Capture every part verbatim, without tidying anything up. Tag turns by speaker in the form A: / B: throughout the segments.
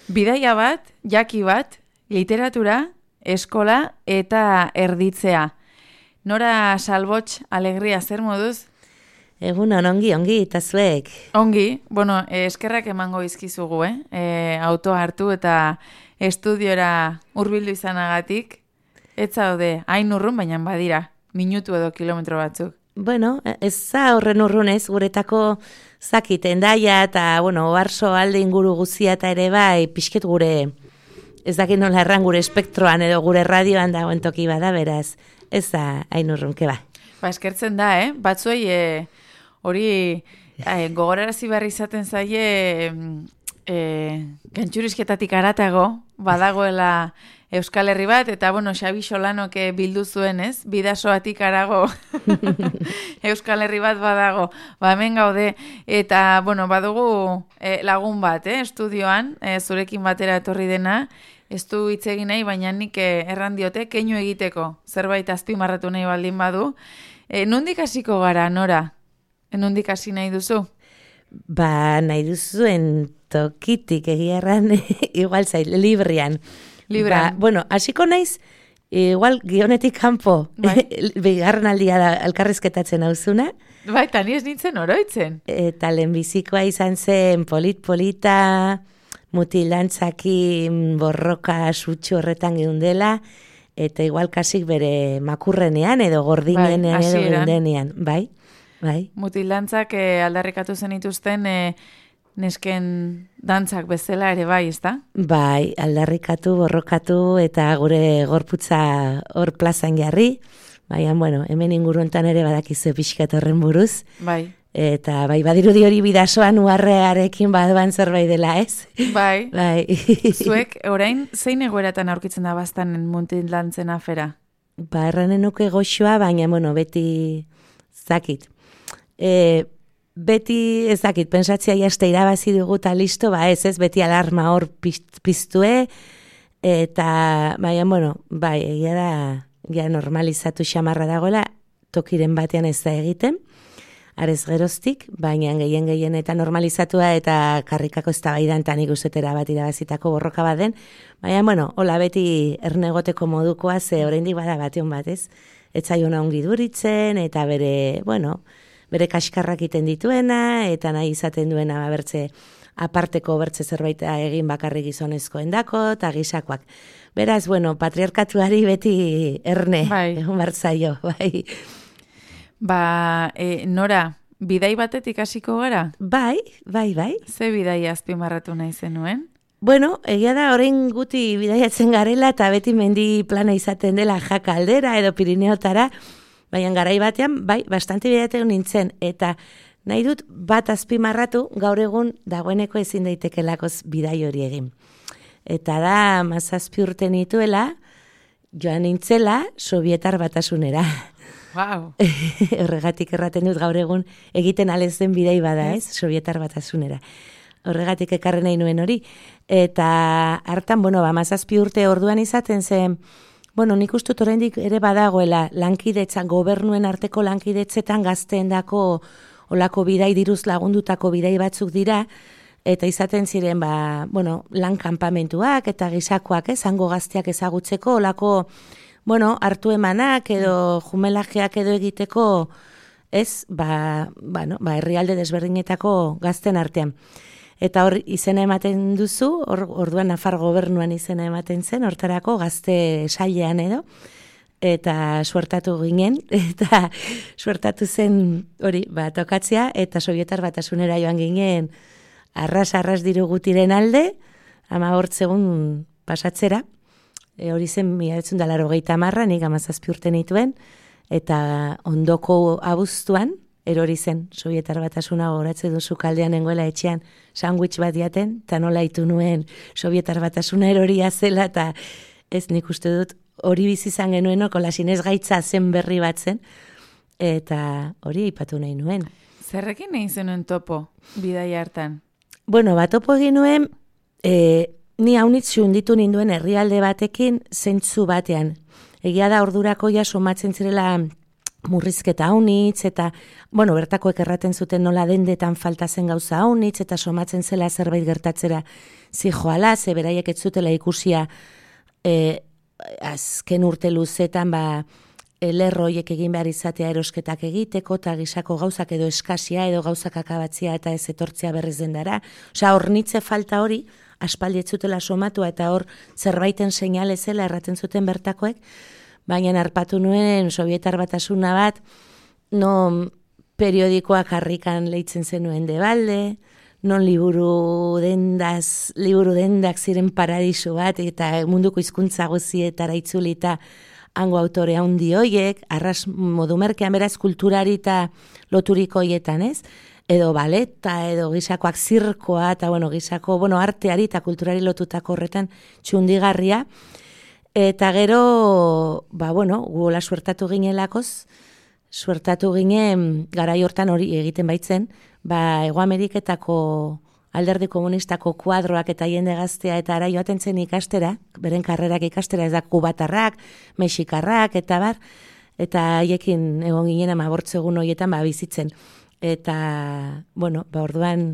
A: Bidaia bat, jaki bat, literatura, eskola eta erditzea. Nora Salbots, alegria, zer moduz?
B: Egunon, ongi, ongi, eta zuek.
A: Ongi, bueno, eskerrak emango izkizugu, eh? E, autoa hartu eta estudiora hurbildu izanagatik. Ez zaude, hain urrun, baina badira, minutu edo kilometro batzuk.
B: Bueno, ez za horren urrunez, guretako zakit, endaia eta, bueno, oarso alde inguru guzia eta ere bai, pixket gure, ez dakit nola erran gure espektroan edo gure radioan dagoen toki bada, beraz, ez da hain urrun, ke ba.
A: Ba, eskertzen da, eh? Batzuei, eh, hori eh, gogorarazi behar izaten zaie eh, gantxurizketatik aratago, badagoela Euskal Herri bat, eta, bueno, Xabi Xolanok bildu zuen, ez? Bidasoatik arago Euskal Herri bat badago. Ba, hemen gaude, eta, bueno, badugu eh, lagun bat, eh? Estudioan, eh, zurekin batera etorri dena, ez du hitz egin nahi, baina nik eh, erran diote, keinu egiteko, zerbait azpimarratu nahi baldin badu. Eh, nondik hasiko gara, Nora? Nondik hasi nahi duzu?
B: Ba, nahi duzuen tokitik egia erran, igual zait, librian.
A: Libran.
B: Ba, bueno, hasiko naiz, igual gionetik kanpo,
A: bai.
B: Bigarren aldia da elkarrizketatzen hauzuna.
A: Bai, eta ni ez nintzen oroitzen.
B: Eta lehenbizikoa izan zen polit-polita, mutilantzakin borroka sutxu horretan geundela, eta igual kasik bere makurrenean edo gordinenean
A: bai,
B: edo geundenean. Bai, bai.
A: Mutilantzak eh, aldarrikatu zen ituzten eh, nesken dantzak bezala ere bai, ezta?
B: Bai, aldarrikatu, borrokatu eta gure gorputza hor plazan jarri. Baina, bueno, hemen inguruentan ere badakizu pixkat horren buruz.
A: Bai.
B: Eta bai, badirudi hori bidasoan uharrearekin badoan zerbait dela, ez?
A: Bai.
B: Bai.
A: Zuek, orain, zein egoeratan aurkitzen da baztan mutilantzen afera?
B: Ba, erranen nuke goxoa, baina, bueno, beti zakit. E, beti ezakit, pensatzia jaste irabazi dugu eta listo, ba ez ez, beti alarma hor piztue, eta, baina, bueno, bai, egia da, ja normalizatu xamarra dagoela, tokiren batean ez da egiten, arez geroztik, baina gehien gehien eta normalizatua eta karrikako ez da baidan eta nik uzetera bat irabazitako borroka bat den, baina, bueno, hola beti ernegoteko modukoa, ze oraindik bada batean bat, ez? Ez zaiona ongi duritzen, eta bere, bueno, bere kaskarrak iten dituena, eta nahi izaten duena bertze aparteko bertze zerbait egin bakarrik gizonezkoen dako, eta gisakoak. Beraz, bueno, patriarkatuari beti erne,
A: bai.
B: Egon bartzaio, bai.
A: Ba, e, Nora, bidai batetik hasiko gara?
B: Bai, bai, bai.
A: Ze bidai azpimarratu nahi zenuen?
B: Bueno, egia da, orain guti bidaiatzen garela, eta beti mendi plana izaten dela jaka aldera edo Pirineotara, baina garai batean, bai, bastante bidatzen nintzen, eta nahi dut bat azpimarratu gaur egun dagoeneko ezin daitekeelakoz bidai hori egin. Eta da, mazazpi urte nituela, joan nintzela Sobietar Batasunera.
A: Wow.
B: Horregatik erraten dut gaur egun egiten alez den bidai bada, ez? Sobietar Batasunera. Horregatik ekarren nahi nuen hori. Eta hartan, bueno, ba, mazazpi urte orduan izaten zen, bueno, nik ustut oraindik ere badagoela lankidetzan, gobernuen arteko lankidetzetan gazteendako olako bidai diruz lagundutako bidai batzuk dira, eta izaten ziren, ba, bueno, lan kanpamentuak eta gisakoak, ez, hango gazteak ezagutzeko, olako, bueno, hartu emanak edo jumelajeak edo egiteko, ez, ba, bueno, ba, herrialde desberdinetako gazten artean. Eta hor izena ematen duzu, hor, orduan Nafar gobernuan izena ematen zen, hortarako gazte sailean edo, eta suertatu ginen, eta suertatu zen hori, ba, tokatzea, eta Sobietar Batasunera joan ginen arras-arras diru gutiren alde, ama hortzegun pasatzera, e, hori zen mila bederatziehun eta laurogeita hamar, nik hamazazpi urte nituen, eta ondoko abuztuan, erori zen, Sobietar Batasuna gogoratzen duzu kaldean nengoela etxean sandwich bat diaten, eta nola itu nuen Sobietar Batasuna eroria zela, eta ez nik uste dut hori bizi izan genuen, kola sinez gaitza zen berri bat zen, eta hori aipatu nahi nuen.
A: Zerrekin nahi zenuen topo, bidai hartan?
B: Bueno, bat topo egin nuen, e, ni haunitzu unditu ninduen herrialde batekin zentzu batean. Egia da ordurako ja somatzen zirela murrizketa haunitz, eta, bueno, bertakoek erraten zuten nola dendetan falta zen gauza haunitz, eta somatzen zela zerbait gertatzera zijoala, ze beraiek ez zutela ikusia e, azken urte luzetan ba, lerroiek egin behar izatea erosketak egiteko, eta gisako gauzak edo eskasia edo gauzak akabatzia eta ez etortzea berriz dendara. Osea, hornitze falta hori, aspaldi ez zutela somatua eta hor zerbaiten seinale zela erraten zuten bertakoek, baina harpatu nuen Sobietar Batasuna bat, non periodikoak harrikan leitzen zenuen debalde, non liburu dendaz, liburu dendak ziren paradisu bat, eta munduko hizkuntza guzietara itzulita hango autore handi hoiek, arras modu merkean beraz kulturari eta loturiko hoietan, ez? Edo baleta, edo gisakoak zirkoa, eta bueno, gisako, bueno, arteari eta kulturari lotutako horretan txundigarria. Eta gero, ba, bueno, guola suertatu ginelakoz, suertatu ginen, garai hortan hori egiten baitzen, ba, Hego Ameriketako alderdi komunistako kuadroak eta jende gaztea eta ara joaten zen ikastera, beren karrerak ikastera, ez da kubatarrak, mexikarrak, eta bar, eta haiekin egon ginen amabortzegun horietan ba, bizitzen. Eta, bueno, ba, orduan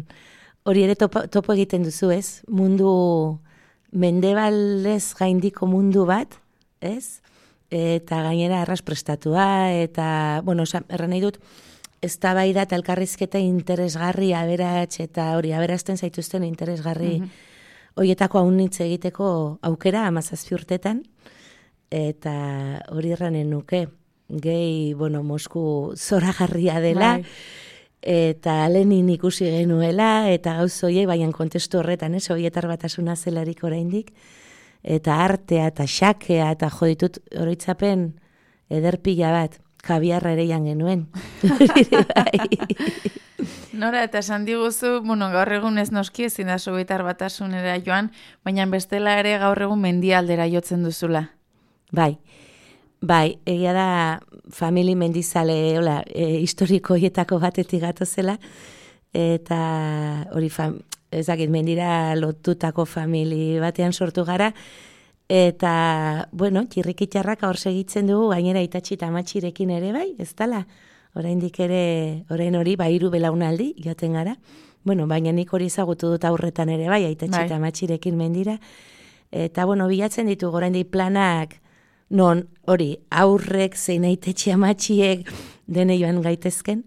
B: hori ere topo, topo egiten duzu, ez? Mundu mendebaldez gaindiko mundu bat, ez? Eta gainera arras prestatua, eta, bueno, erran nahi dut, eztabaida eta elkarrizketa interesgarri aberats eta hori aberazten zaituzten interesgarri mm -hmm. horietako haunitz egiteko aukera hamazazpi urtetan, eta hori erranen nuke, gehi, bueno, Mosku zoragarria dela, bai. Eta Lenin ikusi genuela, eta gauz horiek, baina kontestu horretan, ez, Sobietar Batasuna zelarik oraindik, eta artea, eta xakea, eta joditut oroitzapen ederpila bat, kabiarra ere jan genuen.
A: Nora, eta esan diguzu, bueno, gaur egun ez noski ezin da Sobietar Batasunera joan, baina bestela ere gaur egun mendialdera jotzen duzula.
B: Bai, bai, egia da famili mendizale, hola, e, historiko hietako batetik gatozela, eta hori, ezakit, mendira lotutako famili batean sortu gara, eta, bueno, txirrikitxarrak hor segitzen dugu, gainera itatxi eta amatxirekin ere bai, ez dala, oraindik ere, orain hori, ba, hiru belaunaldi, joaten gara, bueno, baina nik hori ezagutu dut aurretan ere bai, itatxi eta amatxirekin mendira, eta, bueno, bilatzen ditugu oraindik planak, non hori aurrek zein aitetxe amatxiek dene joan gaitezken,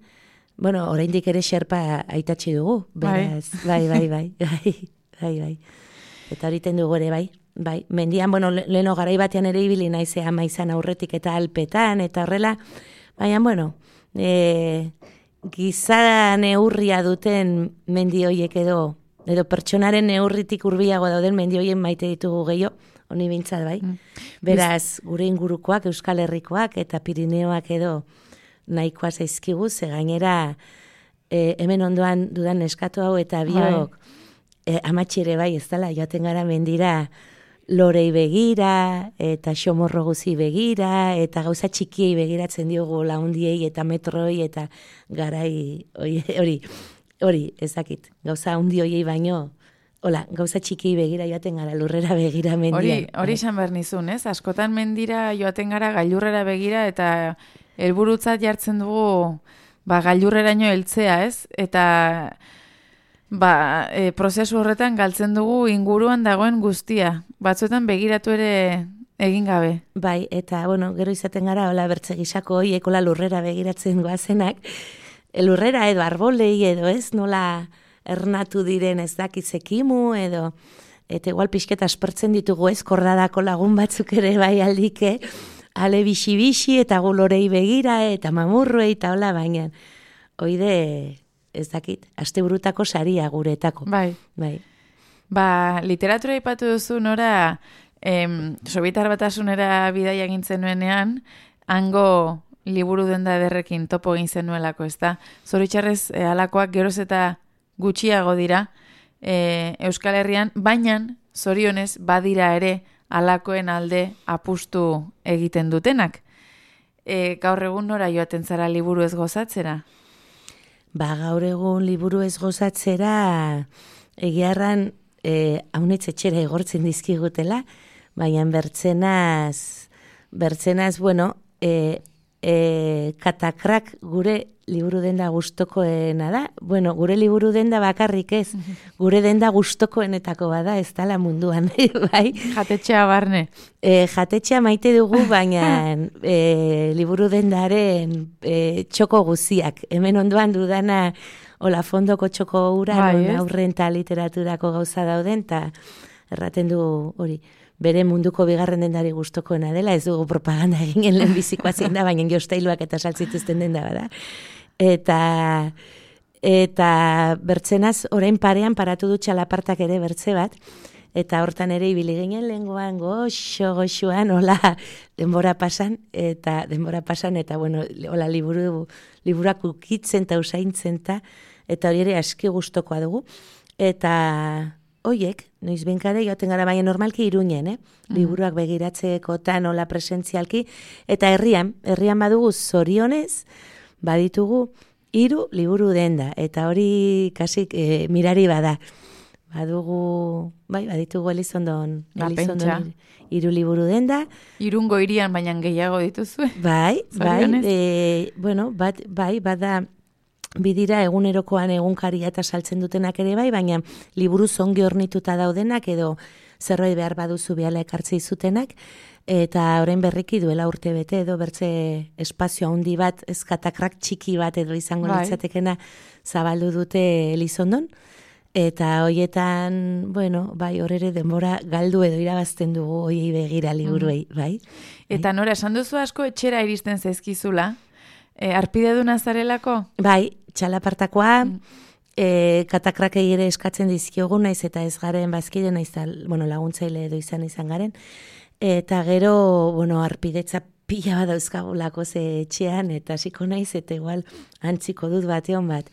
B: bueno, oraindik ere xerpa aitatxi dugu, beraz, bai, bai, bai, bai, bai, bai, eta horiten dugu ere bai, bai, mendian, bueno, leno garai batean ere ibili naize ama izan aurretik eta alpetan, eta horrela, baina, bueno, e, giza neurria duten mendi hoiek edo, edo pertsonaren neurritik hurbilago dauden mendi hoien maite ditugu gehiago, honi bintzat, bai. Mm. Beraz, gure ingurukoak, Euskal Herrikoak eta Pirineoak edo nahikoa zaizkigu, ze gainera e, hemen ondoan dudan neskatu hau eta biok e, amatxire bai, ez dela, joaten gara mendira lorei begira, eta xomorro guzi begira, eta gauza txikiei begiratzen diogu laundiei eta metroi eta garai hori, hori, ezakit, gauza hundi hoiei baino, hola, gauza txiki begira joaten gara, lurrera begira mendian.
A: Hori, hori esan behar nizun, ez? Askotan mendira joaten gara gailurrera begira eta helburutzat jartzen dugu ba, gailurreraino heltzea, ez? Eta ba, e, prozesu horretan galtzen dugu inguruan dagoen guztia. Batzuetan begiratu ere egin gabe.
B: Bai, eta, bueno, gero izaten gara, hola, bertze gisako horiek, hola, lurrera begiratzen goazenak, lurrera edo arbolei edo, ez? Nola ernatu diren ez dakizekimu edo, eta igual pixketa aspertzen ditugu ez, kordadako lagun batzuk ere bai aldike, ale bixi-bixi eta gulorei begira eta mamurruei eta hola, baina oide ez dakit, asteburutako saria guretako.
A: Bai.
B: Bai.
A: Ba, literatura ipatu duzu, Nora, em, Sobietar Batasunera bidaia gintzen nuenean, hango liburu denda ederrekin topo egin zenuelako, ez da? Zoritxarrez, e, alakoak geroz eta gutxiago dira e, Euskal Herrian, baina zorionez badira ere alakoen alde apustu egiten dutenak. E, gaur egun nora joaten zara liburu ez gozatzera?
B: Ba, gaur egun liburu ez gozatzera egiarran e, haunitz etxera egortzen dizkigutela, baina bertzenaz, bertzenaz, bueno, e, e, katakrak gure liburu denda gustokoena da. Bueno, gure liburu denda bakarrik ez, gure denda gustokoenetako bada, ez dala munduan, bai?
A: Jatetxea barne.
B: E, jatetxea maite dugu, baina e, liburu dendaren e, txoko guziak. Hemen ondoan dudana hola fondoko txoko ura,
A: bai,
B: aurren eta literaturako gauza dauden, eta erraten du hori, bere munduko bigarren dendari gustokoena dela, ez dugu propaganda eginen lehenbizikoa zein da, baina jostailuak eta saltzituzten denda bada. Eta, eta bertzenaz, orain parean paratu du txalapartak ere bertze bat, eta hortan ere ibili ginen lenguan goxo, goxoan, hola, denbora pasan, eta denbora pasan, eta bueno, hola, liburu, liburak ukitzen eta usaintzen eta, eta hori ere aski gustokoa dugu. Eta hoiek, noiz benkare, joaten gara baina normalki Iruñen, eh? Mm. Liburuak begiratzekotan, hola presentzialki, eta herrian, herrian badugu zorionez, baditugu hiru liburu denda, eta hori kasik e, mirari bada. Badugu, bai, baditugu Elizondon, Elizondon hiru liburu denda.
A: Irungo hirian baina gehiago dituzue.
B: Bai, bai, e, bueno, bat, bai, bada bidira egunerokoan egunkaria eta saltzen dutenak ere bai, baina liburu zongi hornituta daudenak edo zerbait behar baduzu biala ekartzei zutenak, eta orain berriki duela urte bete edo bertze espazio handi bat, eskatakrak txiki bat edo izango bai. Litzatekena zabaldu dute Elizondon. Eta hoietan, bueno, bai, hor ere denbora galdu edo irabazten dugu hoiei begira liburuei, bai.
A: Eta nora, esan duzu asko etxera iristen zaizkizula, e, arpide du nazarelako?
B: Bai, txalapartakoa, mm. e, katakrakei ere eskatzen dizkiogu naiz eta ez garen bazkide naiz, bueno, laguntzaile edo izan izan garen, eta gero, bueno, arpidetza pila bat dauzkagulako ze etxean, eta hasiko naiz, eta igual antziko dut bateon bat,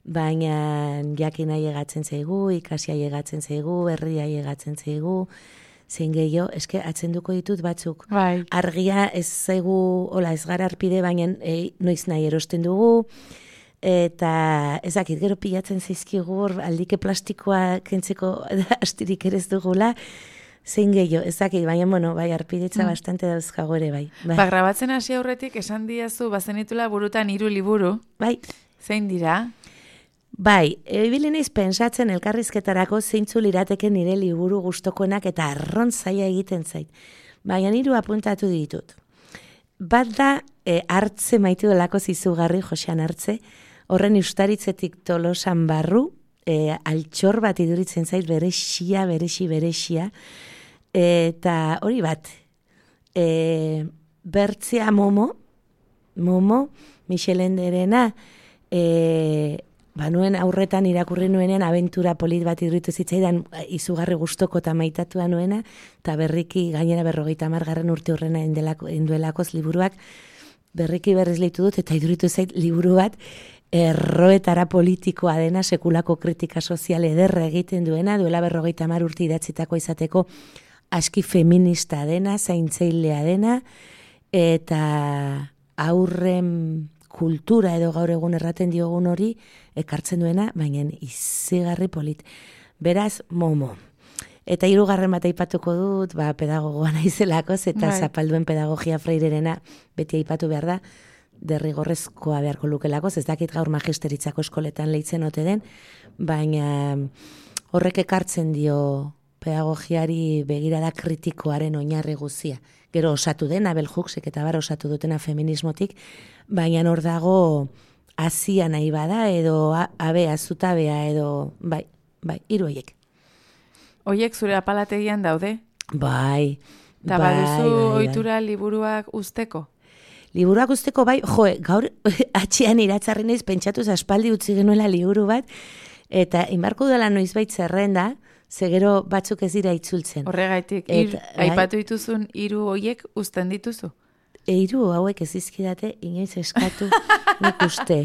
B: baina jakin aiegatzen zaigu, ikasi aiegatzen zaigu, herria aiegatzen zaigu, zein gehiago, eske atzenduko ditut batzuk. Bai. Argia ez zaigu, hola, ez gara arpide, baina e, noiz nahi erosten dugu, eta ezakit, gero pilatzen zaizkigu, aldike plastikoa kentzeko astirik ere ez dugula, zein gehiago, ezakit, baina, bueno, bai, arpidetza mm. bastante dauzkago ere, bai.
A: Bai. Ba, grabatzen hasi aurretik esan diazu, bazenitula burutan hiru liburu.
B: Bai.
A: Zein dira?
B: Bai, ebili naiz pentsatzen elkarrizketarako zeintzu lirateke nire liburu gustokoenak eta arron zaila egiten zait. Baina hiru apuntatu ditut. Bat da, e, hartze maitu delako zizugarri Josean Hartze, horren ustaritzetik Tolosan barru, e, altxor bat iduritzen zait berexia, berexi, berexia, eta hori bat, e, bertzea Momo, Momo, Michel Enderena, e, banuen aurretan irakurri nuenean abentura polit bat iduritu zitzaidan izugarri gustoko eta maitatua nuena, eta berriki gainera berrogeita margarren urte horrena enduelakoz liburuak berriki berriz leitu dut, eta iduritu zait liburu bat erroetara politikoa dena, sekulako kritika sozial ederra egiten duena, duela berrogeita mar urte idatzitako izateko aski feminista dena, zaintzailea dena, eta aurren kultura edo gaur egun erraten diogun hori ekartzen duena, baina izigarri polit. Beraz, Momo. Eta hirugarren bat aipatuko dut, ba, pedagogoa naizelako, eta bai. Zapalduen pedagogia Freirerena beti aipatu behar da, derrigorrezkoa beharko lukelako, ez dakit gaur magisteritzako eskoletan leitzen ote den, baina horrek ekartzen dio pedagogiari begirada kritikoaren oinarri guzia. Gero osatu dena, Bell Hooksek eta bar osatu dutena feminismotik, baina hor dago hasia nahi bada, edo abea, zutabea, edo, bai, bai, hiru horiek.
A: Hoiek zure apalategian daude?
B: Bai,
A: da
B: bai,
A: baduzu
B: bai,
A: ohitura liburuak usteko?
B: Liburuak usteko, bai, jo, gaur atxean iratzarri naiz pentsatuz aspaldi utzi genuela liburu bat, eta inbarko dela noizbait zerrenda, zegero batzuk ez dira itzultzen.
A: Horregaitik, ir, aipatu dituzun hiru hoiek uzten dituzu?
B: Hiru hauek ez dizkidate inoiz eskatu nik uste.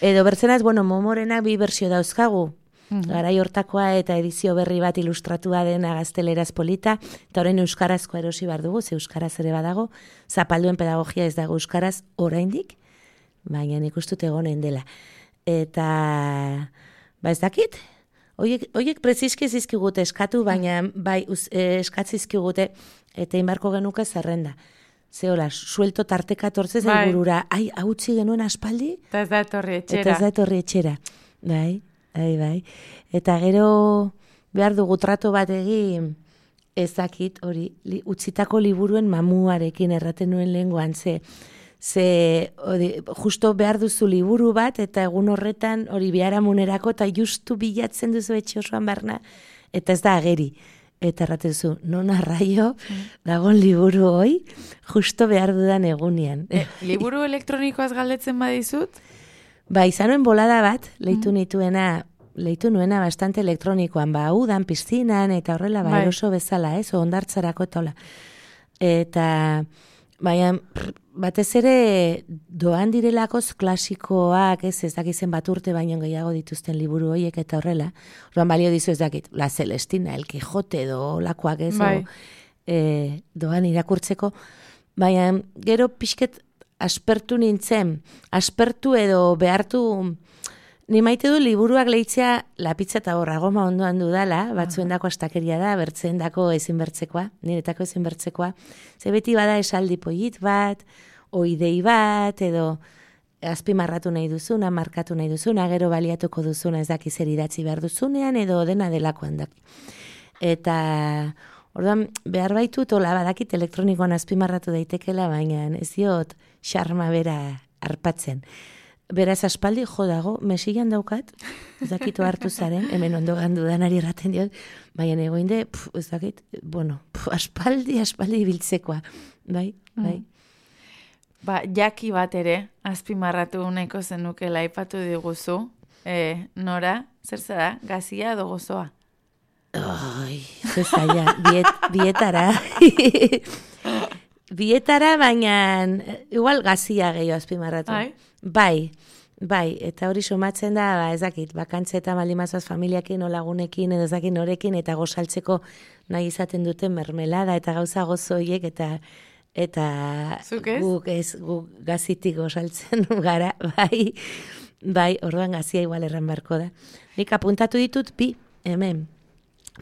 B: Edo bertzenaz, bueno, Momorenak bi bersio dauzkagu, mm-hmm. garai hortakoa eta edizio berri bat ilustratua dena gazteleraz polita, eta horren euskarazkoa erosi behar dugu, ze euskaraz ere badago, Zapalduen pedagogia ez dago euskaraz oraindik, baina nik ustut egonen dela. Eta, ba ez dakit, Oiek, oiek preziski zizkigute eskatu, baina bai uz, eh, eskatzizkigute eta inbarko genuke zerrenda. zehola, suelto tarteka tortzez
A: bai.
B: burura, ai, hautzi genuen aspaldi?
A: Eta ez da etorri etxera.
B: Eta ez da etorri etxera. Bai, bai, bai. Eta gero behar dugu trato bat egin, ez dakit, hori, li, utzitako liburuen mamuarekin erraten nuen lehengoan, ze, ze hori, justo behar duzu liburu bat, eta egun horretan hori biharamunerako, eta justu bilatzen duzu etxe osoan barna, eta ez da ageri. Eta erraten zu, non arraio, dagoen liburu hoi, justo behar dudan egunean.
A: E, liburu elektronikoaz galdetzen badizut?
B: Ba, izanuen bolada bat, leitu nituena, leitu nuena bastante elektronikoan, ba, udan, piztinan, eta horrela, ba, eroso bezala, ez, ondartzarako eta hola. Eta, baina, batez ere doan direlakoz klasikoak, ez, ez dakizen bat urte baino gehiago dituzten liburu horiek eta horrela. Orduan balio dizu ez dakit, La Celestina, El Quijote edo lakoak ez,
A: bai.
B: o, e, doan irakurtzeko. Baina, gero pixket aspertu nintzen, aspertu edo behartu, ni maite du liburuak lehitzea lapitza eta horra goma ondoan dudala, batzuendako astakeria da, bertzeendako ezin bertzekoa, niretako ezin bertzekoa. Ze beti bada esaldi polit bat, oidei bat, edo azpimarratu nahi duzuna, markatu nahi duzuna, gero baliatuko duzuna ez daki zer idatzi behar duzunean, edo dena delakoan daki. Eta, orduan, behar baitu tola badakit elektronikoan azpimarratu daitekela, baina ez diot xarma bera arpatzen. Beraz aspaldi jo dago, mesilan daukat, ez dakitu hartu zaren, hemen ondo gandu danari erraten diot, baina egoinde, pf, ez dakit, bueno, pf, aspaldi, aspaldi biltzekoa, bai, bai.
A: Mm. Ba, jaki bat ere, azpimarratu nahiko zenukela aipatu diguzu, e, Nora, zer zara, gazia edo gozoa?
B: Ai, zezaia, biet, bietara, bietara, baina igual gazia gehiago azpimarratu.
A: Ai?
B: Bai, bai, eta hori somatzen da, ba, ez dakit, bakantze eta maldimazoaz familiakin, o lagunekin, edo ez dakit norekin, eta gozaltzeko nahi izaten duten mermelada, eta gauza gozoiek, eta eta
A: Zuk ez?
B: guk ez, guk gazitik gozaltzen gara, bai, bai, orduan gazia igual erran barko da. Nik apuntatu ditut bi, hemen,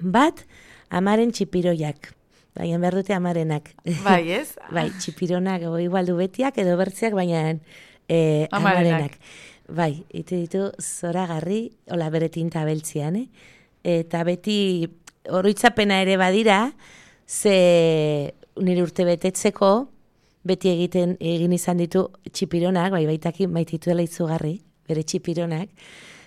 B: bat, amaren txipiroiak, baina behar dute amarenak.
A: Bai, ez?
B: Bai, txipironak, o igual du betiak, edo bertziak, baina E, amarenak. Bai, ite ditu zoragarri, hola bere tinta beltzian, eh? Eta beti oroitzapena ere badira, ze nire urte betetzeko, beti egiten egin izan ditu txipironak, bai baitaki maitituela izugarri, bere txipironak,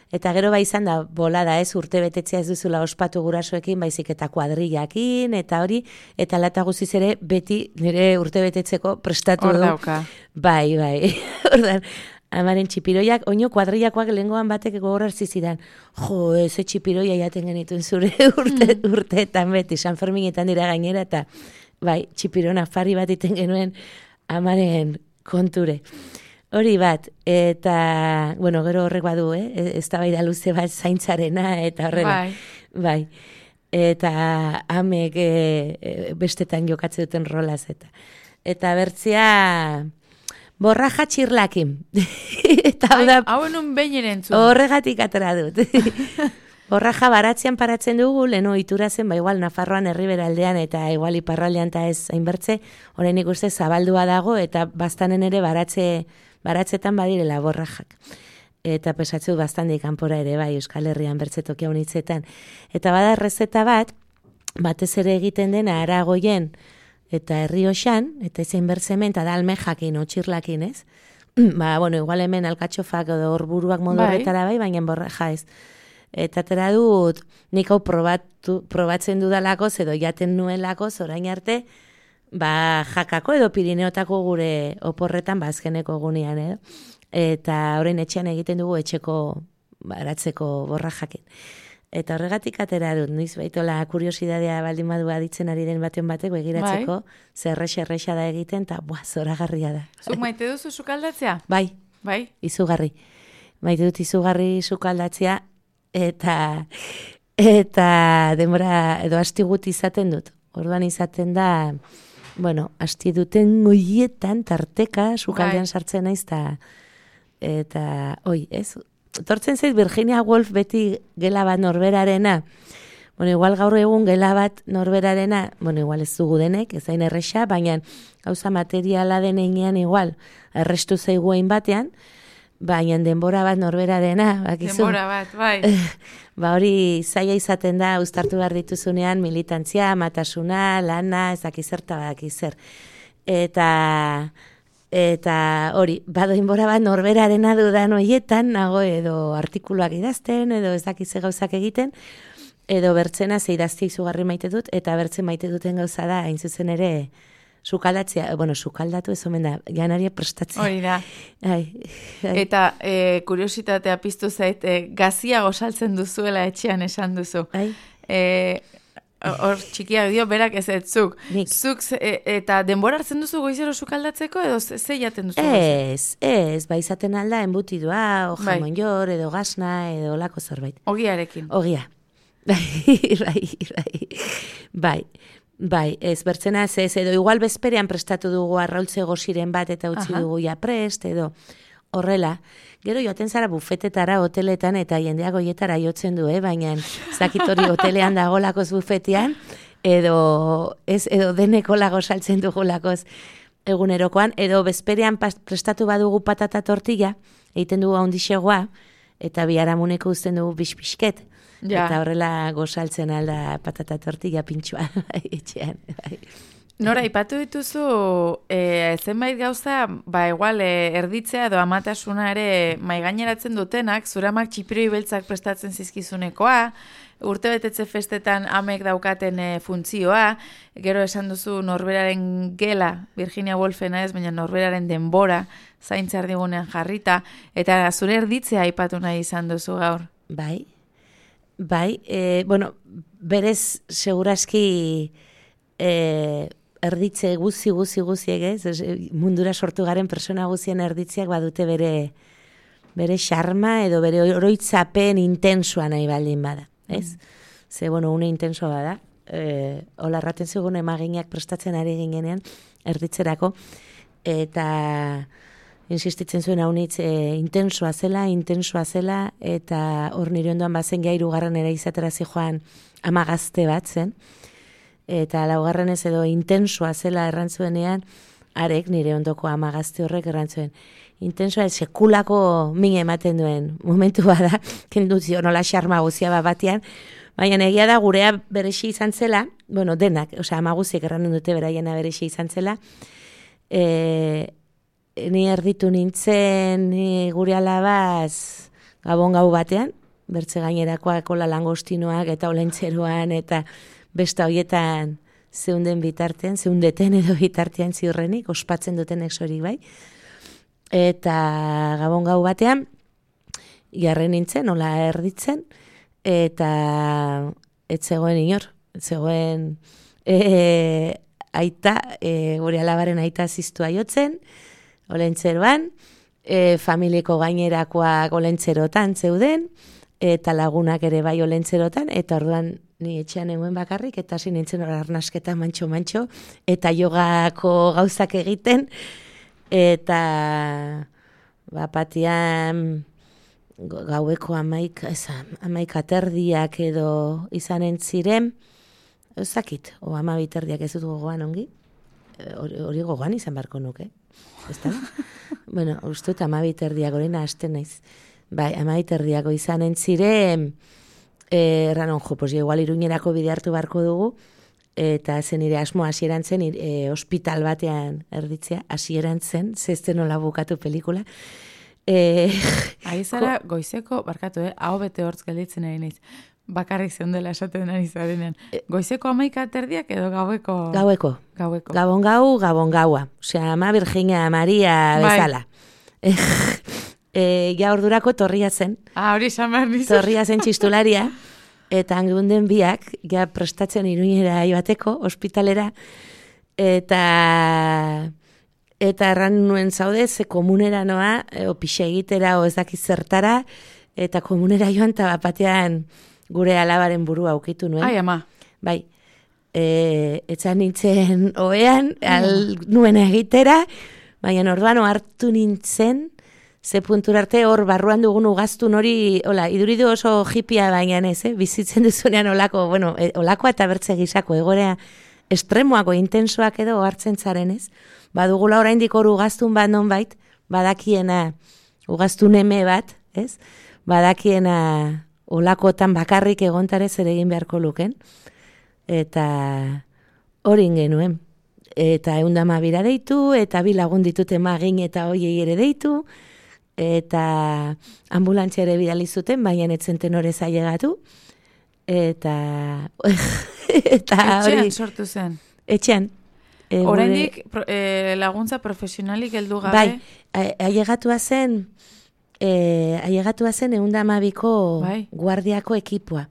B: eta gero bai izan da bolada ez, urte betetzea ez duzula ospatu gurasoekin, baizik eta kuadrillakin, eta hori, eta lata guziz ere beti nire urte betetzeko prestatu
A: Hor
B: du.
A: dauka.
B: Bai, bai. Ordan, amaren txipiroiak, oino kuadrillakoak lehengoan batek gogor hartzi zidan. Jo, eze txipiroia jaten genituen zure urte, mm. urteetan beti, San Ferminetan dira gainera, eta bai, txipirona fari bat iten genuen amaren konture. Hori bat, eta, bueno, gero horrek badu, eh? Ez da bai da luze bat zaintzarena, eta horrela.
A: Bai.
B: Bai. Eta amek e, e, bestetan jokatzen duten rolaz, eta. Eta bertzea, borraja txirlakin. Eta hau da,
A: hau enun behin erentzun.
B: horregatik atera dut. Borraja baratzean paratzen dugu, leno itura zen, ba igual Nafarroan herriberaldean eta igual iparraldean eta ez hainbertze, orain ikuste zabaldua dago, eta bastanen ere baratze, baratzetan badirela borrajak. Eta pesatzu bastandik kanpora ere bai, Euskal Herrian bertze tokia unitzetan. Eta bada errezeta bat, batez ere egiten dena Aragoien eta Errioxan, eta ezein bertzemen, eta da almejakin, otxirlakin, ez? Ba, bueno, igual hemen alkatxofak edo horburuak modu horretara bai, baina borraja ez. Eta atera dut, nik hau probatu, probatzen dudalakoz edo jaten nuelakoz orain arte, ba, jakako edo Pirineotako gure oporretan bazkeneko gunean edo. Eta orain etxean egiten dugu etxeko baratzeko borrajakin. Eta horregatik atera dut, noiz baitola kuriosidadea baldin badu aditzen ari den baten batek begiratzeko, bai. Zerrexe errexa da egiten, eta buah, zoragarria da.
A: Zuk maite duzu sukaldatzea?
B: Bai,
A: bai,
B: izugarri. Maite dut izugarri sukaldatzea, eta eta denbora edo asti gut izaten dut. Orduan izaten da, bueno, asti duten goietan tarteka sukaldean bai. Sartzen naiz ta eta oi, ez? Tortzen zait Virginia Woolf beti gela bat norberarena. Bueno, igual gaur egun gela bat norberarena, bueno, igual ez dugu denek, ez zain erresa, baina gauza materiala denean igual, errestu zeiguein batean, baina denbora bat norberarena, bakizu.
A: Denbora bat, bai.
B: Ba hori zaila izaten da, uztartu behar dituzunean militantzia, matasuna, lana, ezakizerta badakizer. Eta... Eta hori, badoinbora bat norberarena dudan hoietan, nago edo artikuluak idazten, edo ez dakize gauzak egiten, edo bertzena ze idaztia izugarri maite dut, eta bertzen maite duten gauza da, hain zuzen ere, sukaldatzea, bueno, sukaldatu ez omen da, janaria prestatzea.
A: Hori da.
B: Ai, ai.
A: Eta e, kuriositatea piztu zait, e, gazia gosaltzen duzuela etxean esan duzu.
B: Ai.
A: E, Hor txikiak dio, berak ez ez zuk.
B: Nik.
A: Zuk e, eta denbora hartzen duzu goizero sukaldatzeko edo ze ze jaten duzu?
B: Ez, ez, bai izaten alda enbutidua, o
A: Bai.
B: jamon jor, edo gasna, edo lako zerbait.
A: Ogiarekin.
B: Ogia. Bai, bai, bai. Bai, bai, ez bertzena ez, ez, edo igual bezperean prestatu dugu arraultze goziren bat eta utzi
A: Aha.
B: dugu ja prest, edo horrela. Gero joaten zara bufetetara, hoteletan, eta jendeak goietara jotzen du, eh? Baina zakitori hotelean dagolakoz bufetean, edo, ez, edo deneko lago saltzen dugulakoz egunerokoan, edo bezperean pas, prestatu badugu patata tortilla, egiten dugu handixegoa, eta biharamuneko uzten dugu bispisket.
A: Ja.
B: Eta horrela gozaltzen alda patata tortilla pintxua etxean. Bai.
A: Nora, ipatu dituzu, e, zenbait gauza, ba, igual, e, erditzea edo amatasuna ere maigaineratzen dutenak, zure amak txipiroi beltzak prestatzen zizkizunekoa, urte betetze festetan amek daukaten e, funtzioa, gero esan duzu norberaren gela, Virginia Woolfena ez, baina norberaren denbora, zaintzar digunean jarrita, eta zure erditzea aipatu nahi izan duzu gaur.
B: Bai, bai, e, bueno, berez seguraski e, erditze guzi, guzi, guziek, ez? Mundura sortu garen persona guzien erditzeak badute bere bere xarma edo bere oroitzapen intensua nahi baldin bada, ez? Mm. Ze, bueno, une intensua bada. E, Ola erraten zigun emaginak prestatzen ari ginenean erditzerako, eta insistitzen zuen haunitz e, intensua zela, intensua zela, eta hor nire ondoan bazen gai hirugarren ere izatera zijoan ama gazte bat zen, eta laugarren ez edo intensua zela errantzuenean, arek nire ondoko ama gazte horrek errantzuen. Intensua ez sekulako min ematen duen momentu bada, kenduzio nola xarma guzia bat batean, baina egia da gurea berexi izan zela, bueno, denak, osea, ama guziek erranen dute beraiena berexi izan zela, e, ni erditu nintzen ni gure alabaz gabon gau batean, bertze gainerakoak kola langostinoak eta olentzeroan eta besta hoietan zeunden bitartean, zeundeten edo bitartean ziurrenik, ospatzen dutenek sorik bai. Eta gabon gau batean, jarren nintzen, nola erditzen, eta ez zegoen inor, ez zegoen e, aita, e, gure alabaren aita ziztua jotzen, olentzeroan, e, familiko gainerakoak olentzerotan zeuden, eta lagunak ere bai olentzerotan, eta orduan ni etxean eguen bakarrik, eta hasi nintzen hor arnasketa mantxo-mantxo, eta jogako gauzak egiten, eta bapatian gaueko amaik, ez, amaik aterdiak edo izanen ziren, ezakit, o ama biterdiak ez dut gogoan ongi, hori, hori gogoan izan barko nuke, ez da? Bueno, uste dut ama biterdiak horina hasten naiz. Bai, ama biterdiako izanen ziren, Eh, erranon, jo, pues igual Iruñerako bide hartu barko dugu, eta zen nire asmo hasieran zen, e, hospital batean erditzea, hasieran zen, zezten nola bukatu pelikula. E,
A: Ari zara, goizeko, barkatu, eh, hau bete hortz gelditzen ari naiz, bakarrik zeundela esaten ari zarenean. Goizeko amaika terdiak edo gaueko?
B: Gaueko.
A: Gaueko.
B: Gabon gau, gabon gaua. Osea, ama Virginia Maria bezala. Bai. E, ja ordurako torria zen.
A: Ah, hori esan behar nizu.
B: Torria zen txistularia, eta angunden biak, ja prestatzen Iruñera joateko, ospitalera, eta eta erran nuen zaude, ze komunera noa, o pixe egitera, o ez dakiz zertara, eta komunera joan, eta batean gure alabaren burua aukitu nuen.
A: Ai, ama.
B: Bai, e, etzan nintzen oean, al nuen egitera, baina orduan hartu nintzen, ze puntura arte hor barruan dugun ugaztun hori, hola, iduridu oso hipia baina ez, eh? Bizitzen duzunean olako, bueno, e, olakoa eta bertze gizako, egorea estremoako, intensoak edo hartzen zaren, ez? Badugula oraindik hor ugaztun bat nonbait, badakiena ugaztun eme bat, ez? Badakiena olakotan bakarrik egontare zer egin beharko luken. Eta hori genuen. Eta eundama bira deitu, eta bi lagun ditut emagin eta hoiei ere deitu, eta ambulantza ere bidali zuten, baina etzen tenore zailegatu. Eta... eta
A: Etxean sortu zen.
B: Etxean.
A: E, Oraindik e, laguntza profesionalik heldu gabe?
B: Bai, ailegatua zen, e, ailegatua zen eunda amabiko bai. Guardiako ekipoa.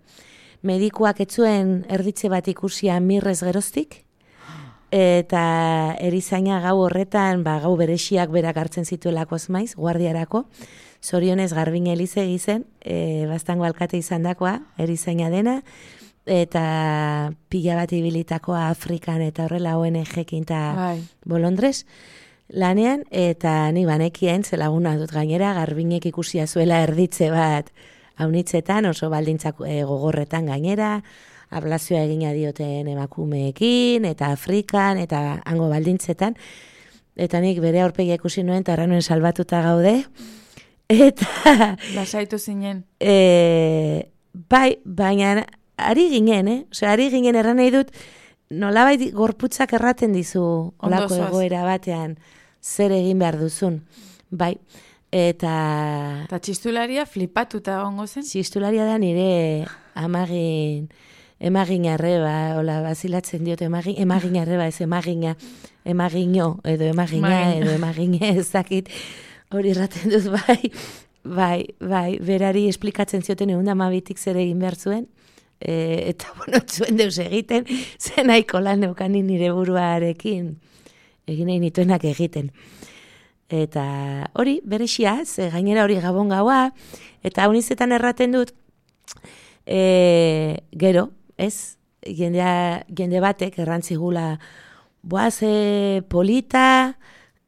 B: Medikuak etzuen erditze bat ikusia mirrez geroztik, eta erizaina gau horretan, ba, gau berexiak berak hartzen zituelako maiz, guardiarako, zorionez Garbin Elize gizen, e, bastango alkate izan dakoa, erizaina dena, eta pila bat ibilitakoa Afrikan eta horrela O N G-ekin eta bai. Bolondres lanean, eta ni banekien zelaguna dut gainera, Garbinek ikusia zuela erditze bat haunitzetan, oso baldintzak e, gogorretan gainera, ablazioa egina dioten emakumeekin, eta Afrikan, eta hango baldintzetan, eta nik bere aurpegia ikusi nuen, eta erranuen salbatuta gaude, eta...
A: Lasaitu zinen.
B: E, bai, baina... Ari ginen, eh? Osea, ari ginen erran nahi dut, nolabait gorputzak erraten dizu olako egoera batean zer egin behar duzun. Bai, eta...
A: Eta txistularia flipatuta gongo zen?
B: Txistularia da nire amagin, emagin arreba, hola, bazilatzen diot, emagin, emagin arreba, ez emagina, emagino, edo emagina, Magin. edo emagine, ezakit, hori erraten dut, bai, bai, bai, berari esplikatzen zioten egun damabitik zer egin behar zuen, E, eta, bueno, zuen deus egiten, zen aiko lan neukanin nire buruarekin, egin nahi nituenak egiten. Eta hori, berexia, ze gainera hori gabon gaua, eta honizetan erraten dut, e, gero, ez, jendea, jende batek errantzigula, boaz, e, polita,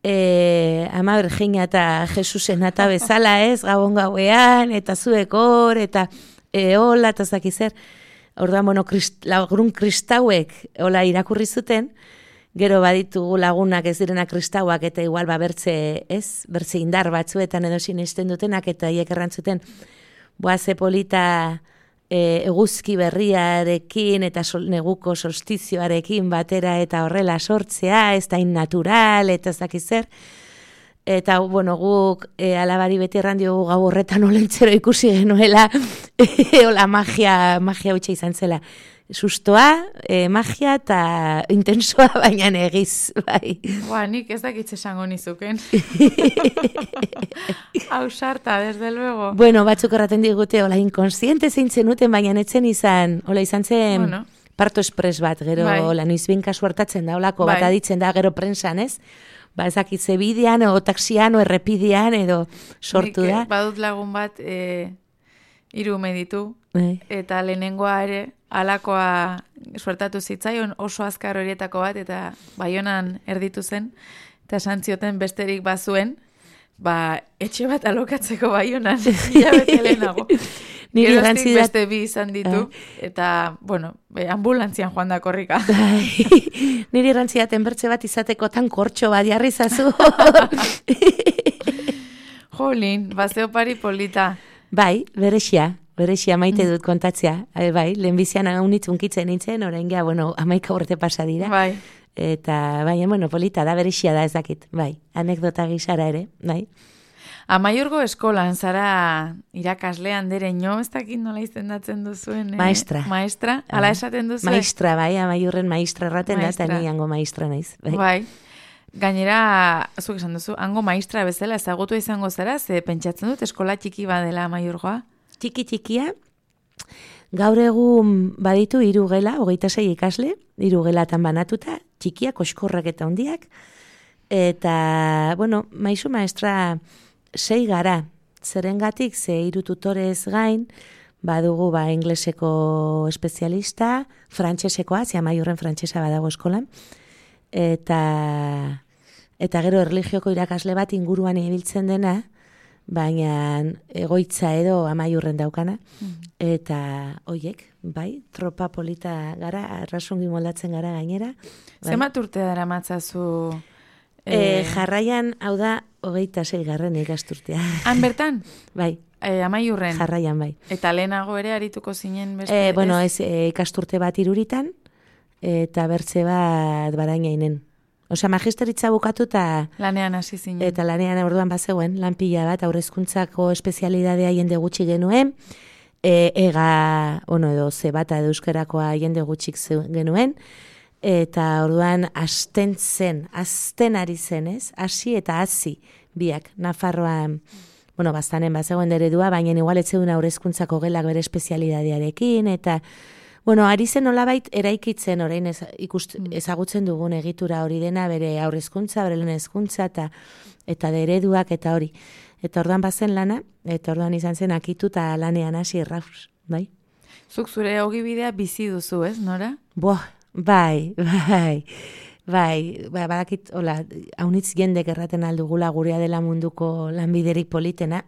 B: e, ama Virginia eta Jesusen eta bezala, ez, gabon gauean, eta zuekor, eta... E, hola, eta zakizer, orduan, bueno, krist, lagun kristauek hola irakurri zuten, gero baditu lagunak ez direna kristauak, eta igual ba bertze, ez, bertze indar batzuetan edo sinesten dutenak, eta hiek errantzuten, boaze polita e, eguzki berriarekin, eta sol, neguko solstizioarekin batera, eta horrela sortzea, ez da innatural, eta zakizer, eta, bueno, guk e, alabari beti erran diogu gau horretan olentzero ikusi genuela, e, hola magia, magia hutsa izan zela. Sustoa, e, magia eta intensoa baina egiz, bai.
A: Ba, nik ez dakitze esango nizuken. Hau sarta, desde luego.
B: Bueno, batzuk erraten digute, hola, inkonsiente zein zenuten, baina netzen izan, hola, izan zen... Bueno. Parto espres bat, gero, bai. Hola, noizbin kasu hartatzen da, holako, bai. Bat aditzen da, gero prensan, ez? Ba, ezakitze bidean, o taxian, o errepidean, edo sortu da.
A: Nik, badut lagun bat, e, hiru meditu, e. eta lehenengoa ere, alakoa suertatu zitzaion, oso azkar horietako bat, eta Baionan erditu zen, eta santzioten besterik bazuen, ba, etxe bat alokatzeko Baionan, hilabete lehenago. Nire Geroztik beste bi izan ditu, eta, bueno, ambulantzian joan da korrika.
B: Nire irrantziaten bertze bat izateko tan kortxo bat jarri zazu.
A: Jolin, bazeo pari polita.
B: Bai, berexia, berexia maite dut kontatzea. Bai, lehenbizian haunitz unkitzen nintzen, orain gea, bueno, amaika urte pasa dira.
A: Bai.
B: Eta, bai, bueno, polita da, berexia da ezakit. Bai, anekdota gizara ere, bai.
A: Amaiurgo eskolan zara irakaslean dereño, ez dakit nola izendatzen duzuen. Eh?
B: Maestra.
A: Maestra, ala esaten duzu.
B: Maestra, bai, amaiurren maestra erraten da, eta ni hango maestra naiz.
A: Bai. Bai. Gainera, zuk esan duzu, hango maestra bezala ezagutu izango zara, ze pentsatzen dut eskola txiki badela amaiurgoa.
B: Txiki txikia, gaur egun baditu hiru gela, hogeita sei ikasle, hiru gelatan banatuta, txikiak, oskorrak eta hondiak, eta, bueno, maisu maestra... Sei gara, zerengatik ze hiru tutorez gain, badugu ba ingleseko espezialista, frantsesekoa, ze amaiurren frantsesa badago eskolan, eta eta gero erlijioko irakasle bat inguruan ibiltzen dena, baina egoitza edo amaiurren daukana, eta hoiek, bai, tropa polita gara, arrasungi moldatzen gara gainera. Bai.
A: Zemat urte dara matzazu?
B: E, jarraian, hau da, hogeita sei garren ikasturtea.
A: Han bertan?
B: Bai.
A: E, amaiurren?
B: Jarraian, bai.
A: Eta lehenago ere arituko zinen beste?
B: E, bueno, ez, e, ikasturte bat iruritan, eta bertze bat barainainen. Osea, magisteritza bukatu eta...
A: Lanean hasi zinen.
B: Eta lanean orduan bazegoen, lan pila bat, aurrezkuntzako espezialidadea jende gutxi genuen, e, ega, ono edo, ze bata edo euskarakoa jende gutxik genuen, eta orduan asten zen, asten ari zen, ez? Hasi eta hasi biak, Nafarroan, bueno, bastanen bazegoen eredua, baina igual etzeuden aurrezkuntzako gelak bere espezialidadearekin, eta... Bueno, ari zen nolabait eraikitzen orain ez, ikust, ezagutzen dugun egitura hori dena, bere aurrezkuntza, bere lehen hezkuntza eta eta ereduak eta hori. Eta orduan bazen lana, eta orduan izan zen akitu eta lanean hasi errauz, bai?
A: Zuk zure ogibidea bizi duzu, ez, Nora?
B: Boa, bai, bai, bai, bai, badakit, hola, haunitz jendek erraten aldugula gurea dela munduko lanbiderik politena,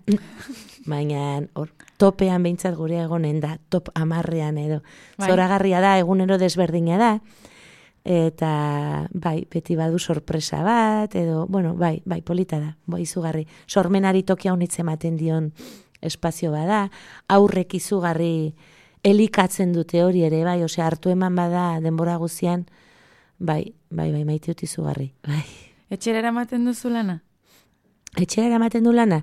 B: baina hor, topean behintzat gure egonen da, top amarrean edo. Bai. Zoragarria da, egunero desberdina da, eta bai, beti badu sorpresa bat, edo, bueno, bai, bai, polita da, bai, izugarri. Sormenari tokia honitze ematen dion espazio bada, aurrek izugarri elikatzen dute hori ere, bai, osea, hartu eman bada denbora guzian, bai, bai, bai, maite dut izugarri, bai.
A: Etxera eramaten duzu lana?
B: Etxera eramaten du lana?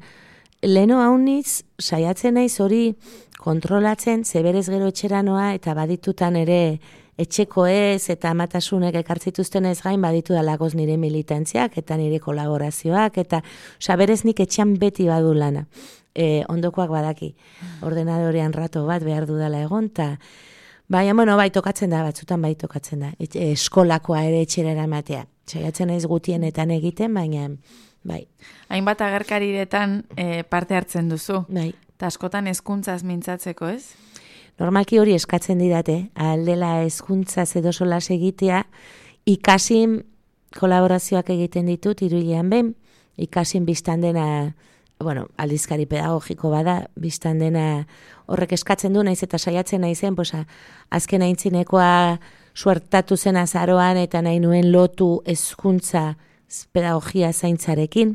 B: Leno hauniz, saiatzen naiz hori kontrolatzen, zeberez gero etxera noa, eta baditutan ere etxeko ez, eta amatasunek ekartzituzten ez gain, baditu dalagoz nire militantziak, eta nire kolaborazioak, eta oza, berez nik etxean beti badu lana. E, ondokoak badaki, ordenadorean rato bat behar dudala egon, eta baina, bueno, bai tokatzen da, batzutan bai tokatzen da, e, eskolakoa ere etxera eramatea. Saiatzen naiz gutienetan egiten, baina... Bai.
A: Hainbat agerkariretan e, parte hartzen duzu.
B: Bai.
A: Ta askotan hezkuntzaz mintzatzeko, ez?
B: Normalki hori eskatzen didate, aldela hezkuntzaz edo solas egitea, ikasin kolaborazioak egiten ditut iruilean behin, ikasin biztan dena, bueno, aldizkari pedagogiko bada, biztan dena horrek eskatzen du, naiz eta saiatzen naizen, posa, azken aintzinekoa suertatu zen azaroan eta nahi nuen lotu hezkuntza pedagogia zaintzarekin,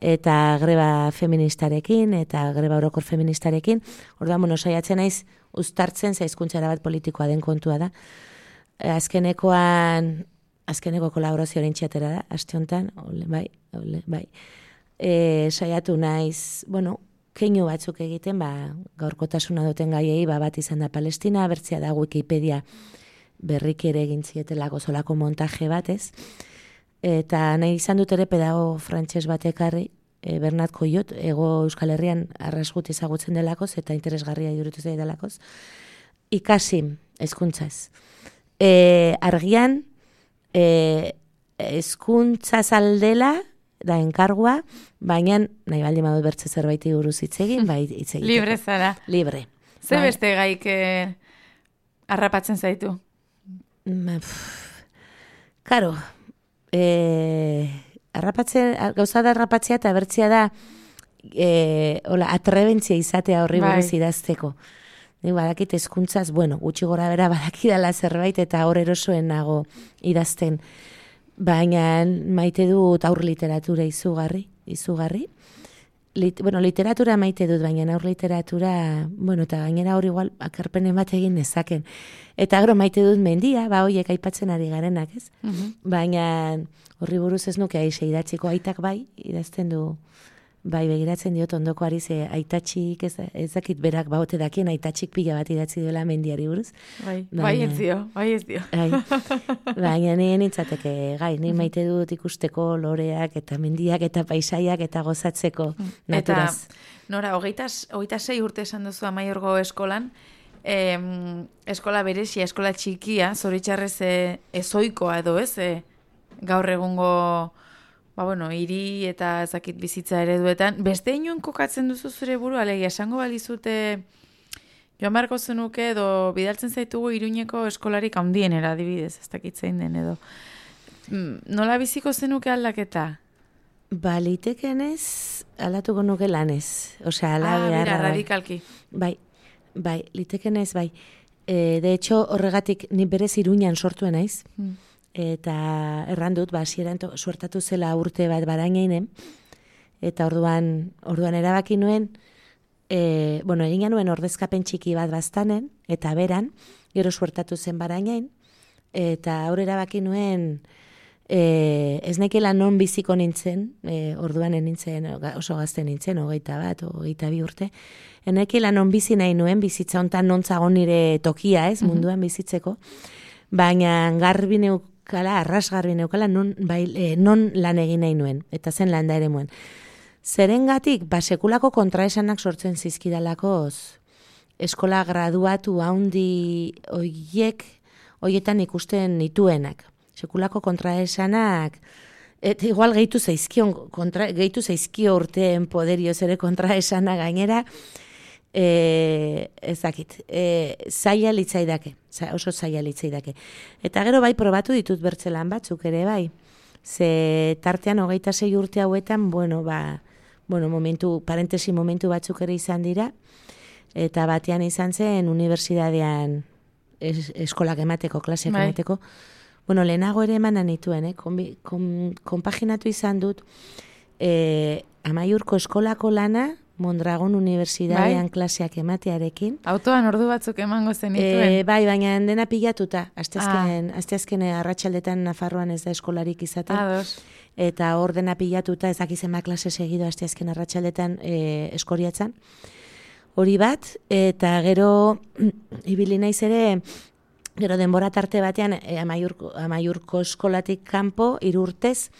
B: eta greba feministarekin, eta greba orokor feministarekin. Orduan, bueno, saiatzen naiz uztartzen zaizkuntzara bat politikoa den kontua da. Azkenekoan, azkeneko kolaborazioaren txatera da, aste honetan, ole, bai, ole, bai. E, saiatu naiz, bueno, keinu batzuk egiten, ba, gaurkotasuna duten gaiei, ba, bat izan da Palestina, bertzea da Wikipedia berrik ere egin zietelako solako montaje bat, ez? Eta nahi izan dut ere pedago frantses bat ekarri, e, Bernat Coyot, ego Euskal Herrian arrasgut ezagutzen delakoz, eta interesgarria iruditu zait delakoz, ikasi hezkuntzaz. E, argian, e, hezkuntzaz aldela, da enkargua, baina nahi baldin badut bertze zerbaiti buruz hitz egin, bai hitz egiteko.
A: Libre zara.
B: Libre.
A: Ze bai. Beste gaik eh, harrapatzen zaitu?
B: Ma, pff, karo, E, arrapatzen, gauza da arrapatzea eta bertzea da e, hola, atrebentzia izatea horri buruz bai. Idazteko. Nik badakit hezkuntzaz, bueno, gutxi gora bera badakidala zerbait eta hor erosoen nago idazten. Baina maite dut aur literatura izugarri, izugarri. Lit, bueno, literatura maite dut, baina aur literatura, bueno, eta gainera hor igual akarpenen bat egin nezaken. Eta gero maite dut mendia, ba hoiek aipatzen ari garenak, ez? Uh-huh. Baina horri buruz ez nuke aixe idatziko, aitak bai, idazten du, bai begiratzen diot ondokoari ze aitatxik, ez, ez dakit berak baote dakien aitatxik pila bat idatzi duela mendiari buruz.
A: Bai, baina, bai ez dio, bai ez dio.
B: Bai, baina nien nintzateke, gai, ni maite dut ikusteko loreak eta mendiak eta paisaiak eta gozatzeko naturaz.
A: Eta, Nora, hogeita, hogeita sei urte esan duzu Amaiorgo eskolan, eh, eskola berezia, eskola txikia, zoritxarrez eh, ezoikoa edo ez, eh, gaur egungo... Ba, bueno, hiri eta ezakit bizitza ereduetan. Beste inoen kokatzen duzu zure buru, alegia, esango balizute joan beharko zenuke edo bidaltzen zaitugu Iruñeko eskolarik handienera adibidez, ez dakit zein den edo. Nola biziko zenuke aldaketa?
B: Ba, litekenez, aldatuko nuke lanez. Osea, ala
A: ah,
B: beharra.
A: bera,
B: bai.
A: radikalki.
B: Bai, bai, litekenez, bai. E, de hecho, horregatik ni berez Iruñan sortu naiz.
A: Hmm.
B: Eta erran dut, ba, hasieran to- suertatu zela urte bat barainainen. Eta orduan, orduan erabaki nuen, e, bueno, egin nuen ordezkapen txiki bat baztanen, eta beran, gero suertatu zen barainain, eta hor erabaki nuen, e, ez nekela non biziko nintzen, e, orduan nintzen, oso gazte nintzen, hogeita bat, hogeita bi urte, enekela non bizi nahi nuen, bizitza hontan non zagon nire tokia, ez, munduan bizitzeko, baina garbi neukala, arras garbi neukala, non, bai, e, non lan egin nahi nuen, eta zen landa ere muen. Zerengatik, ba, sekulako kontraesanak sortzen zizkidalakoz, eskola graduatu haundi oiek, oietan ikusten nituenak. Sekulako kontraesanak, et igual gehitu zaizkion, kontra, gehitu zaizkio urteen poderioz ere kontraesana gainera, e, ezakit, e, zaila litzaidake, oso zaila litzaidake. Eta gero bai probatu ditut bertzelan batzuk ere bai, ze tartean hogeita sei urte hauetan, bueno, ba, bueno, momentu, parentesi momentu batzuk ere izan dira, eta batean izan zen unibertsitatean es, eskolak emateko, klaseak
A: bai.
B: emateko. Bueno, lehenago ere emanan nituen, eh? Konbi, kon, konpaginatu izan dut eh, Amaiurko eskolako lana Mondragon unibertsitatean bai. Klaseak ematearekin.
A: Autoan ordu batzuk emango zenituen.
B: E, bai, baina dena pilatuta. Asteazken, ah. asteazken arratsaldetan Nafarroan ez da eskolarik izaten.
A: Ados.
B: Eta hor dena pilatuta, ez dakizen ba klase segido asteazken arratsaldetan e, eskoriatzen. Hori bat, eta gero ibili naiz ere, gero denbora tarte batean e, amaiurko, amaiurko eskolatik kanpo, hiru urtez,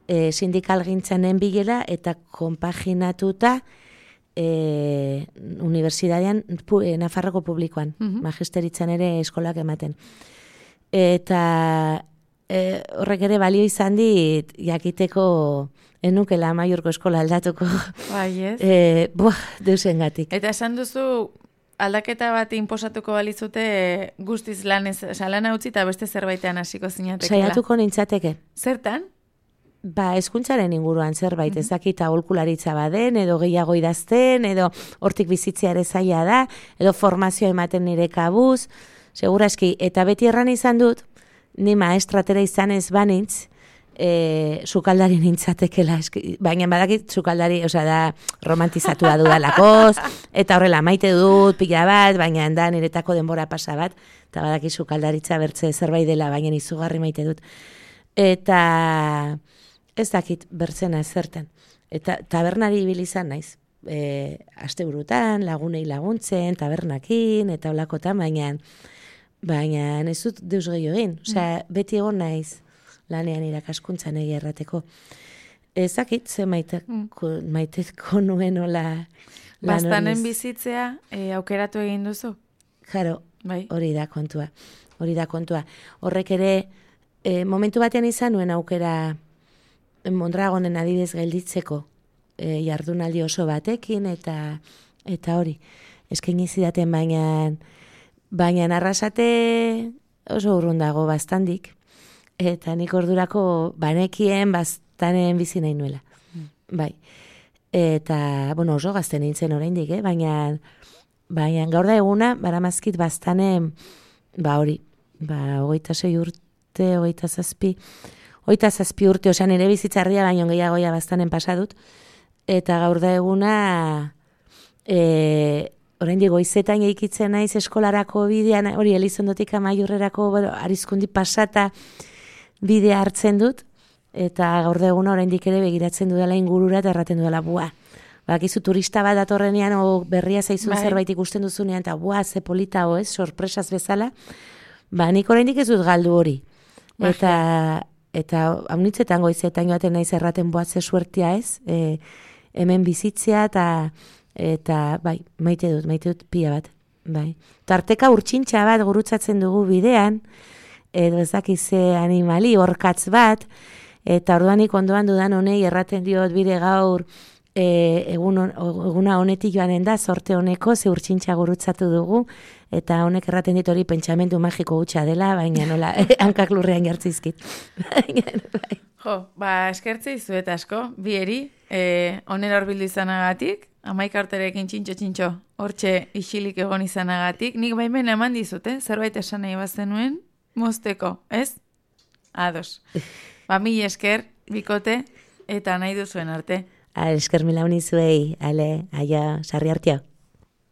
B: e, sindikal gintzanen bilela, eta konpaginatuta e, unibertsitatean e, Nafarroko publikoan, uh-huh. Magisteritzan ere eskolak ematen. Eta e, horrek ere balio izan dit, jakiteko enukela Amaiurko eskola aldatuko.
A: Bai, ez?
B: E, buah, deusengatik.
A: Eta esan duzu, aldaketa bat inposatuko balizute guztiz lanez, oza, lana utzi eta beste zerbaitean hasiko zinatekela.
B: Saiatuko nintzateke.
A: Zertan?
B: Ba, hezkuntzaren inguruan zerbait, mm-hmm. ezakita aholkularitza baden, edo gehiago idazten, edo hortik bizitzea ere zaila da, edo formazioa ematen nire kabuz, seguraski, eta beti erran izan dut, ni maestratera izan ez banitz, e, sukaldari nintzatekela, eski, baina badakit sukaldari, osea da romantizatua dudalakoz, eta horrela maite dut, pila bat, baina da niretako denbora pasa bat, eta badakit sukaldaritza bertze zerbait dela, baina izugarri maite dut. Eta ez dakit bertzena ezerten. Eta tabernari ibili izan naiz. E, asteburutan, lagunei laguntzen, tabernakin, eta olakotan, baina baina ez dut deus gehiago egin. Osea, beti egon naiz lanean irakaskuntzan egia errateko. Ez dakit, ze maiteko, maiteko nuen ola lan
A: Bastanen bizitzea e, aukeratu egin duzu?
B: Jaro,
A: bai.
B: Hori da kontua. Hori da kontua. Horrek ere, e, momentu batean izan nuen aukera Mondragonen adibidez gelditzeko e, jardunaldi oso batekin eta eta hori eskaini zidaten, baina baina Arrasate oso urrun dago bastandik eta nik ordurako banekien bastanen bizi nahi nuela. Mm. Bai. Eta bueno, oso gazte nintzen oraindik, eh, baina baina gaur da eguna baramazkit bastanen ba hori, ba hogeita sei urte, hogeita zazpi Oita zazpi urte, osan ere bizitzarria, baino gehiagoia bastanen pasadut. Eta gaur da eguna, e, orain digo, izetan eikitzen naiz eskolarako bidean, hori Elizondotik Amaiurrerako, bueno, arizkundi pasata bidea hartzen dut. Eta gaur da eguna oraindik ere begiratzen dudala ingurura eta erraten dudala, bua. Bakizu turista bat datorrenean, o berria zaizun bai. Zerbait ikusten duzunean, eta bua, ze polita ez, sorpresaz bezala. Ba, nik oraindik ez dut galdu hori. Bai. Eta... Eta haunitzetan goizetan joaten naiz erraten boatze suertia ez, e, hemen bizitzea eta eta bai, maite dut, maite dut pila bat. Bai. Tarteka urtsintxa bat gurutzatzen dugu bidean, edo ez dakize animali, orkatz bat, eta orduanik ondoan dudan honei erraten diot bide gaur e, egun, eguna honetik joanen da, sorte honeko, ze urtsintxa gurutzatu dugu, eta honek erraten dit hori pentsamendu magiko hutsa dela, baina nola, hankak lurrean jartzizkit.
A: Jo, ba, eskertze izuet asko, bieri, e, onera horbildu izanagatik, amaika urterekin txintxo-txintxo, hortxe isilik egon izanagatik, nik baimen eman dizute, zerbait esan nahi bazenuen, mozteko, ez? Ados. Ba, mil esker, bikote, eta nahi duzuen arte.
B: Esker mila unizuei, ale, aia, sarri hartia.